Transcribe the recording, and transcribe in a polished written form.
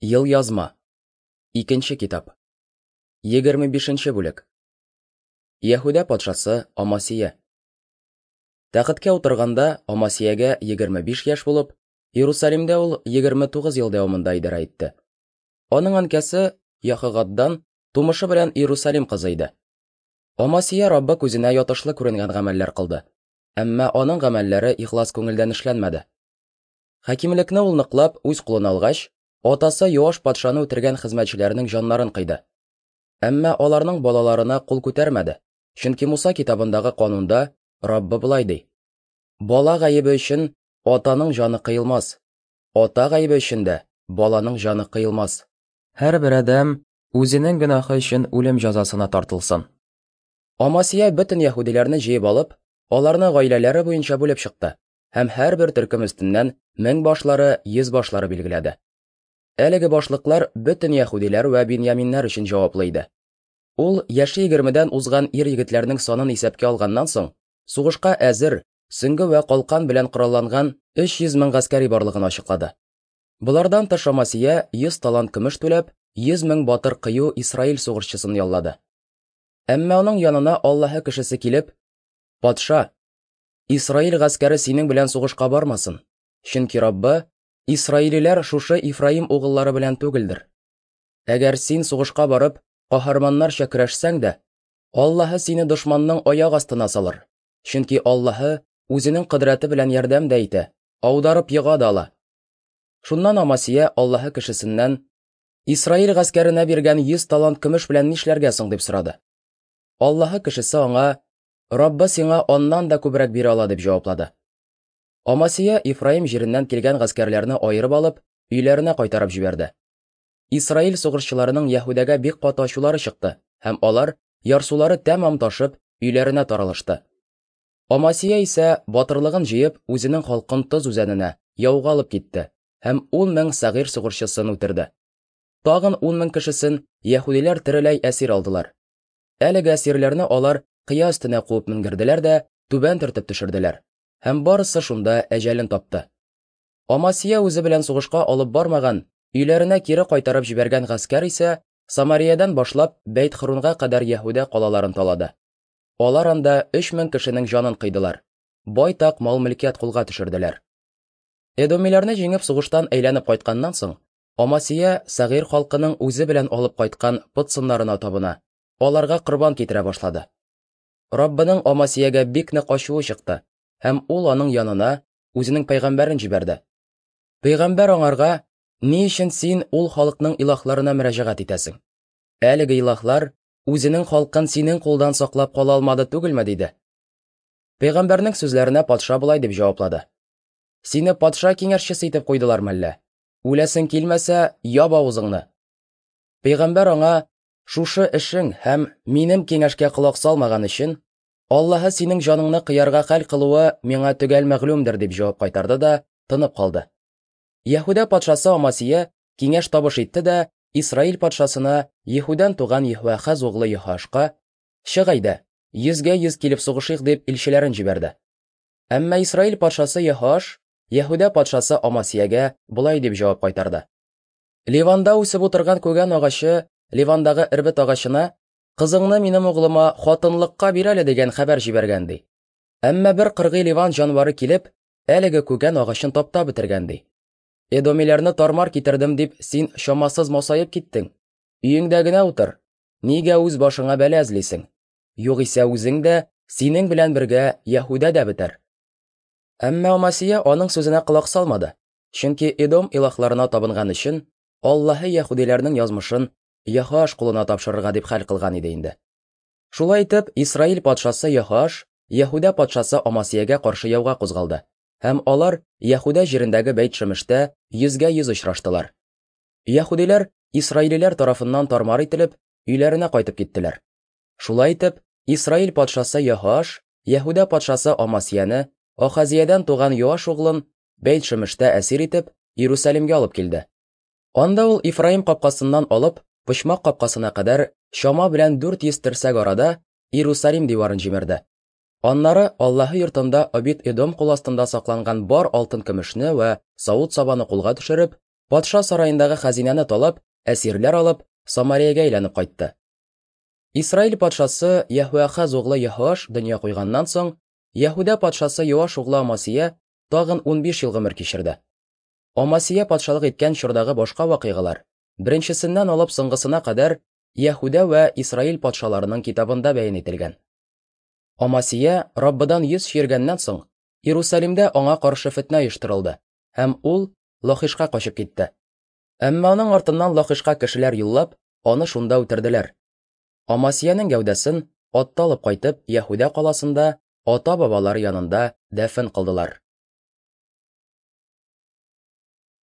Елъязма. Икенче китап. 25 нче бүлек. Яһүдә патшасы Амасия. Тәхеткә утырганда Амасиягә 25 яшь булып, Иерусалимдә ул 29 ел дәвамында идарә итте. Аның әнкәсе Яхогаддан тумышы белән Иерусалим кызы иде. Амасия Раббы күзенә ятышлы күренгән гамәлләр кылды. Әмма аның гамәлләре ихлас күңелдән эшләнмәде. Хакимлекне ул ныклап үз кулына алгач, атасы Йоаш патшаны үтергән хезмәтчеләренең җаннарын кыйды. Әмма аларның балаларына кул күтәрмәде, чөнки Муса китабындагы канунда Раббы болай ди: Бала гаебе өчен атаның җаны кыелмас, ата гаебе өчен дә баланың җаны кыелмас. Һәрбер адәм үзенең гөнаһы өчен үлем җәзасына тартылсын. Амасия бөтен яһүдиләрне җыеп алып, аларны гаиләләре буенча бүлеп чыкты һәм һәрбер төркем өстеннән меңбашлары, йөзбашлары билгеләде. Әлеге башлыклар бөтен яһүдиләр вә биньяминнәр өчен җаваплы иде. Ул яше егермедән узган ир-егетләрнең санын исәпкә алганнан соң, сугышка әзер, сөңге вә калкан белән коралланган 300 мең гаскәри барлыгын ачыклады. Болардан тыш Амасия 100 талант көмеш түләп, 100 мең батыр кыю Исраил сугышчысын яллады. Әмма аның янына Аллаһы кешесе килеп, Патша, Исраил гаскәре синең белән сугышка бармасын, чөнки Раббы, Исраилиләр шушы Ифраим угыллары белән түгелдер. Әгәр син сугышка барып, каһарманнарча көрәшсәң дә, Аллаһы сине дошманның аяк астына салыр, чөнки Аллаһы үзенең кодрәте белән ярдәм дә итә, аударып ега да ала. Шуннан Амасия Аллаһы кешесеннән, Исраил гаскәренә биргән 100 талант көмеш белән нишләргә соң дип сорады. Аллаһы кешесе аңа, Раббы сиңа аннан да күбрәк бирә ала, дип җаваплады. Амасия Ифраим җиреннән килгән гаскәрләрне аерып алып, өйләренә кайтарып җибәрде. Исраил сугышчыларының Яһүдәгә бик каты ачулары чыкты, һәм алар, ярсулары тәмам ташып, өйләренә таралышты. Амасия исә, батырлыгын җыеп, үзенең халкын Тоз үзәненә, яуга алып китте һәм 10 мең сәгыйрь сугышчысын үтерде. Тагын 10 мең кешесен яһүдиләр тереләй әсир алдылар. Әлеге әсирләрне алар кыя өстенә куып менгерделәр дә түбән төртеп төшерделәр. Һәм барысы шунда әҗәлен тапты. Амасия үзе белән сугышка алып бармаган, өйләренә кире кайтарып җибәргән гаскәр исә Самариядән башлап Бәйт-Хрунга кадәр Яһүдә калаларын талады. Алар анда 3000 кешенең җанын кыйдылар. Байтак мал-мөлкәт кулга төшерделәр. Эдомиләрне җиңеп сугыштан әйләнеп кайтканнан соң, Амасия Сәгыйрь халкының үзе белән алып кайткан пот сыннарына табына, аларга корбан китерә башлады. Раббының Амасиягә бик нык ачуы чыкты, һәм ул аның янына үзенең пәйгамбәрен җибәрде. Пәйгамбәр аңарга, Ни өчен син ул халыкның илаһларына мөрәҗәгать итәсең? Әлеге илаһлар үзенең халкын синең кулдан саклап кала алмады түгелме? диде. Пәйгамбәрнең сүзләренә патша болай дип җаваплады. Сине патша киңәшчесе итеп куйдылар мәллә? Үләсең килмәсә, яб авызыңны. Пәйгамбәр аңа, Шушы эшең һәм минем киңәшкә колак салмаган өчен, Аллаһы синең җаныңны кыярга хәл кылуы миңа төгәл мәгълүмдер, дип җавап кайтарды да тынып калды. Яһүдә патшасы Амасия киңәш табыш итте дә Исраил патшасына Еһүдән туган Еһуахаз углы Еһоашка, Чык әйдә, йөзгә йөз килеп сугышыйк, дип илчеләрен җибәрде. Әмма Исраил патшасы Еһоаш Яһүдә патшасы Амасиягә болай дип җавап кайтарды. Ливанда үсеп утырган күгән агачы Ливандагы эрбет агачына кызыңны минем углыма хатынлыкка бир әле дигән хәбәр җибәргән ди. Әмма бер кыргый ливан җанвары килеп, әлеге күгән агачын таптап бетергән ди. Эдомиләрне тармар китердем дип син чамасыз масаеп киттең. Өеңдә генә утыр. Нигә үз башыңа бәла эзлисең? Югыйсә үзең дә, синең белән бергә Яһүдә дә бетәр. Әмма Амасия аның сүзенә колак салмады, чөнки Эдом илаһларына табынган өчен Аллаһы яһүдиләрнең язмышын Яһоаш кулына тапшырырга дип хәл кылган иде инде. Шулай итеп, Исраил патшасы Яһоаш Яһүдә патшасы Амасиягә каршы яуга кузгалды, һәм алар Яһүдә җирендәге Бәйт-Шемештә йөзгә-йөз очраштылар. Яһүдиләр исраилиләр тарафыннан тармар ителеп, өйләренә кайтып киттеләр. Шулай итеп, Исраил патшасы Яһоаш Яһүдә патшасы Амасияне, Ахазиядән туган Йоаш углын, Бәйт-Шемештә әсир итеп, Иерусалимгә алып килде. Анда ул Ифраим капкасыннан алып, почмак капкасына кадәр чама белән 400 терсәк арада Иерусалим диварын җимерде. Аннары Аллаһы йортында Обид-Эдом кул астында сакланган бар алтын-көмешне вә савыт-сабаны кулга төшереп, Патша сараендагы хәзинәне талап, әсирләр алып, Самариягә әйләнеп кайтты. Исраил патшасы Яһүахаз углы Яһоаш дөнья куйганнан соң, Яһүдә патшасы Йоаш углы Амасия тагын 15 ел гомер кичерде. Амасия патшалык иткән чордагы башка вакыйгалар, беренчесеннән алып соңгысына кадәр, Яһүдә вә Исраил патшаларының китабында бәян ителгән. Амасия Раббыдан йөз чөергәннән соң, Иерусалимдә аңа каршы фетнә оештырылды, һәм ул Лахишка качып китте. Әмма аның артыннан Лахишка кешеләр юллап, аны шунда үтерделәр. Амасиянең гәүдәсен атта алып кайтып, Яһүдә каласында ата-бабалары янында дәфен кылдылар.